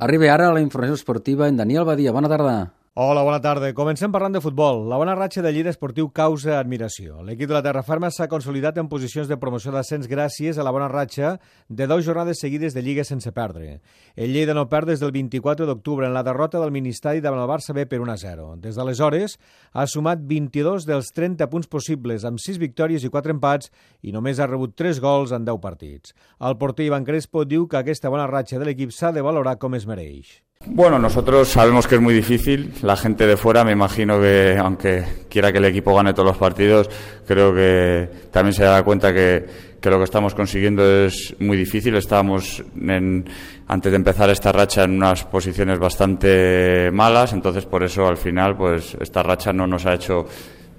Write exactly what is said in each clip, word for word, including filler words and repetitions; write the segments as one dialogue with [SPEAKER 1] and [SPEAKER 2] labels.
[SPEAKER 1] Arriba ara a la informació esportiva en Daniel Badia. Bona tarda.
[SPEAKER 2] Hola, bona tarda. Comencem parlant de futbol. La bona ratxa del Lleida Esportiu causa admiració. L'equip de la Terra Ferma s'ha consolidat en posicions de promoció d'ascens gràcies a la bona ratxa de dues jornades seguides de Lliga sense perdre. El Lleida no perd des del vint-i-quatre d'octubre en la derrota del Ministeri davant el Barça B per un a zero. Des d'aleshores ha sumat vint-i-dos dels trenta punts possibles, amb sis victòries i quatre empats, i només ha rebut tres gols en deu partits. El porter Iván Crespo diu que aquesta bona ratxa de l'equip s'ha de valorar com es mereix.
[SPEAKER 3] Bueno, nosotros sabemos que es muy difícil. La gente de fuera, me imagino que, aunque quiera que el equipo gane todos los partidos, creo que también se da cuenta que, que lo que estamos consiguiendo es muy difícil. Estábamos, en, antes de empezar esta racha, en unas posiciones bastante malas, entonces por eso al final pues esta racha no nos ha hecho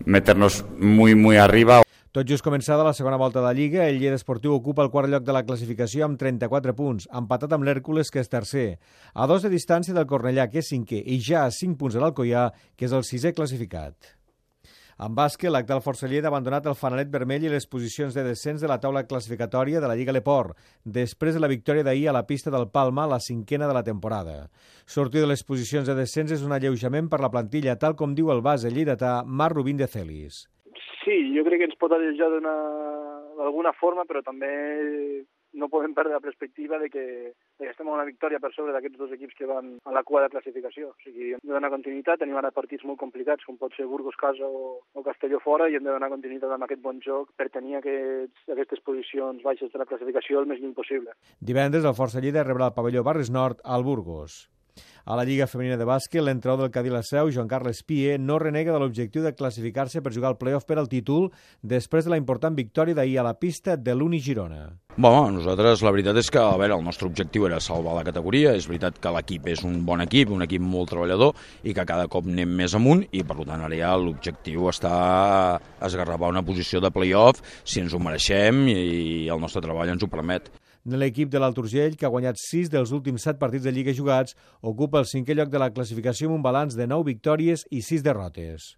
[SPEAKER 3] meternos muy, muy arriba.
[SPEAKER 2] Tot just començada la segona volta de la Lliga, el Lleida Esportiu ocupa el quart lloc de la classificació amb trenta-quatre punts, empatat amb l'Hèrcules, que és tercer, a dos de distància del Cornellà, que és cinquè, i ja a cinc punts de l'Alcoià, que és el sisè classificat. En bàsquet, l'actual Força Lleida ha abandonat el fanalet vermell i les posicions de descens de la taula classificatòria de la Lliga Leport, després de la victòria d'ahir a la pista del Palma, la cinquena de la temporada. Sortir de les posicions de descens és un alleujament per la plantilla, tal com diu el base lleidatà Marc Rubín de Celis.
[SPEAKER 4] Sí, jo crec que ens pot alleujar d'alguna forma, però també no podem perdre la perspectiva de que, de que estem a una victòria per sobre d'aquests dos equips que van a la cua de classificació. O sigui, hem de donar continuïtat, tenim ara partits molt complicats, com pot ser Burgos casa o, o Castelló fora, i hem de donar continuïtat amb aquest bon joc per tenir aquests, aquestes posicions baixes de la classificació el més lluny possible.
[SPEAKER 2] Divendres el Força Lleida rebrà el pavelló Barris Nord al Burgos. A la Lliga Femenina de Bàsquet, l'entrenador del Cadí La Seu, Joan Carles Pie, no renega de l'objectiu de classificar-se per jugar al play-off per al títol després de la important victòria d'ahir a la pista de l'Uni Girona.
[SPEAKER 5] Bueno, nosaltres la veritat és que, a veure, el nostre objectiu era salvar la categoria. És veritat que l'equip és un bon equip, un equip molt treballador i que cada cop anem més amunt, i per tant ara ja l'objectiu està a esgarrapar una posició de play-off si ens ho mereixem i el nostre treball ens ho permet.
[SPEAKER 2] L'equip de l'Alt Urgell, que ha guanyat sis dels últims set partits de Lliga jugats, ocupa el cinquè lloc de la classificació amb un balanç de nou victòries i sis derrotes.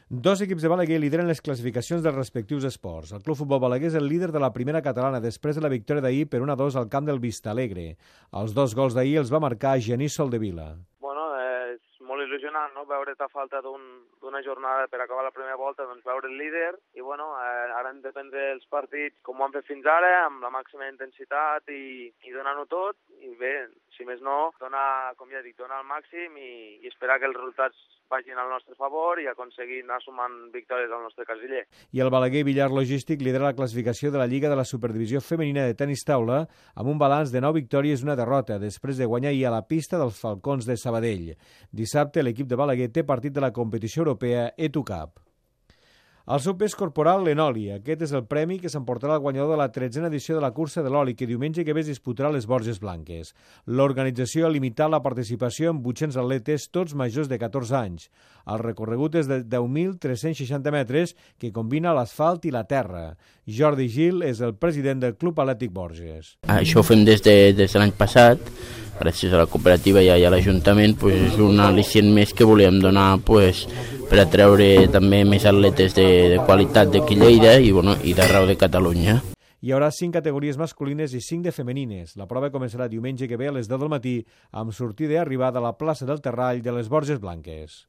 [SPEAKER 2] Dos equips de Balaguer lideren les classificacions dels respectius esports. El Club Futbol Balaguer és el líder de la primera catalana després de la victòria d'ahir per un a dos al camp del Vistalegre. Els dos gols d'ahir els va marcar Genís Soldevila.
[SPEAKER 6] Bueno, eh, és molt il·lusionant, no?, veure't a falta d'una un, jornada per acabar la primera volta, doncs veure el líder, i bueno, eh, ara hem de prendre els partits com ho han fet fins ara, amb la màxima intensitat i, i donar-ho tot, i bé, si més no, donar, com ja dic, donar el màxim i, i esperar que els resultats vagin al nostre favor i aconseguir anar sumant victòries al nostre casiller.
[SPEAKER 2] I el Balaguer Villar Logístic lidera la classificació de la Lliga de la Superdivisió Femenina de Tenis Taula amb un balanç de nou victòries i una derrota, després de guanyar ahir a la pista dels Falcons de Sabadell. Dissabte l'equip de Balaguer té partit de la competició europea E T U Cup. El seu pes corporal, l'Enoli. Aquest és el premi que s'emportarà el guanyador de la tretzena edició de la cursa de l'oli, que diumenge que ve es disputarà a les Borges Blanques. L'organització ha limitat la participació amb vuit-cents atletes, tots majors de catorze anys. El recorregut és de deu mil tres-cents seixanta metres, que combina l'asfalt i la terra. Jordi Gil és el president del Club Atlètic Borges.
[SPEAKER 7] Això ho fem des de, des de l'any passat, gràcies a la cooperativa i a l'Ajuntament. Pues és un al·licient més que volíem donar pues, per atreure també més atletes de, de qualitat d'aquí Lleida i, bueno, i d'arreu de Catalunya.
[SPEAKER 2] Hi haurà cinc categories masculines i cinc de femenines. La prova començarà diumenge que ve a les deu del matí amb sortida i arribada a la plaça del Terrall de les Borges Blanques.